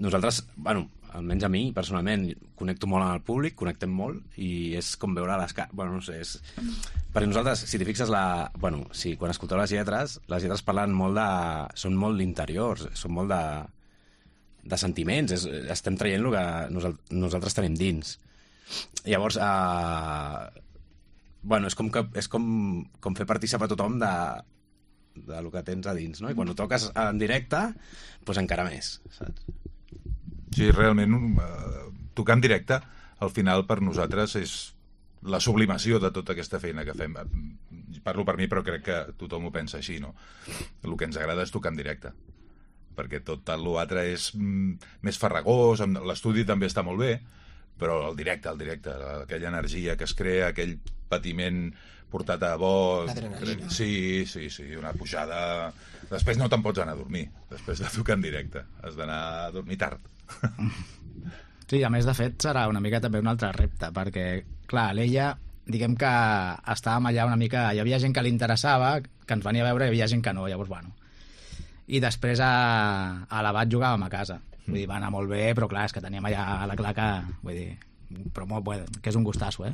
nosaltres, bueno, almenys a mi, personalment, connecto molt amb el públic, connectem molt, i és com veure les cares... Bueno, no sé, és... Perquè nosaltres, si t'hi fixes, quan escolteu les lletres parlen molt de... Són molt d'interiors, són molt de sentiments, estem traient el que nosaltres tenim dins. Llavors, bueno, és com fer participar tothom del que tens a dins, no? I quan ho toques en directe, doncs encara més, saps? Sí, realment, tocar en directe, al final, per nosaltres, és la sublimació de tota aquesta feina que fem. Parlo per mi, però crec que tothom ho pensa així, no? El que ens agrada és tocar en directe, perquè tot l'altre és més farragós, l'estudi també està molt bé, però el directe, aquella energia que es crea, aquell patiment portat a bo... L'adrenalina. Sí, una pujada... Després no te'n pots anar a dormir, després de tocar en directe. Has d'anar a dormir tard. Sí, a més, de fet, serà una mica també un altre repte, perquè, clar, l'Ella, diguem que estàvem allà una mica... Hi havia gent que li interessava, que ens venia a veure, i hi havia gent que no, llavors, bueno. I després a l'Abat jugàvem a casa. Vull dir, va anar molt bé, però clar, és que teníem allà a la claca, vull dir, però molt bé, que és un gustasso,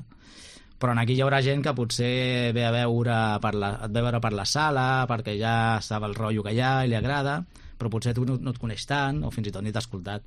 Però aquí hi haurà gent que potser ve a veure per la sala, perquè ja estava el rotllo que hi ha i li agrada, però potser tu no et coneix tant, o fins i tot ni t'ha escoltat.